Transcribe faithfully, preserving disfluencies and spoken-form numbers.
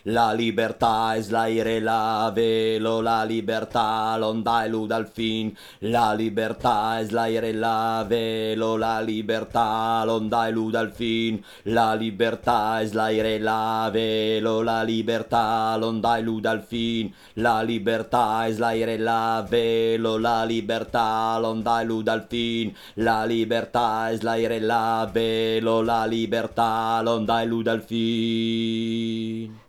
La libertà es l'aire, la velo, la libertà, l'onda e l'uda al fin. La libertà es l'aire, la velo, la libertà, l'onda e l'uda al fin. La libertà es l'aire, la velo, la libertà, l'onda e l'uda al fin. La libertà es l'aire, la velo, la libertà, l'onda e l'uda al fin. La libertà es l'aire, la velo, la libertà, l'onda e l'uda al fin.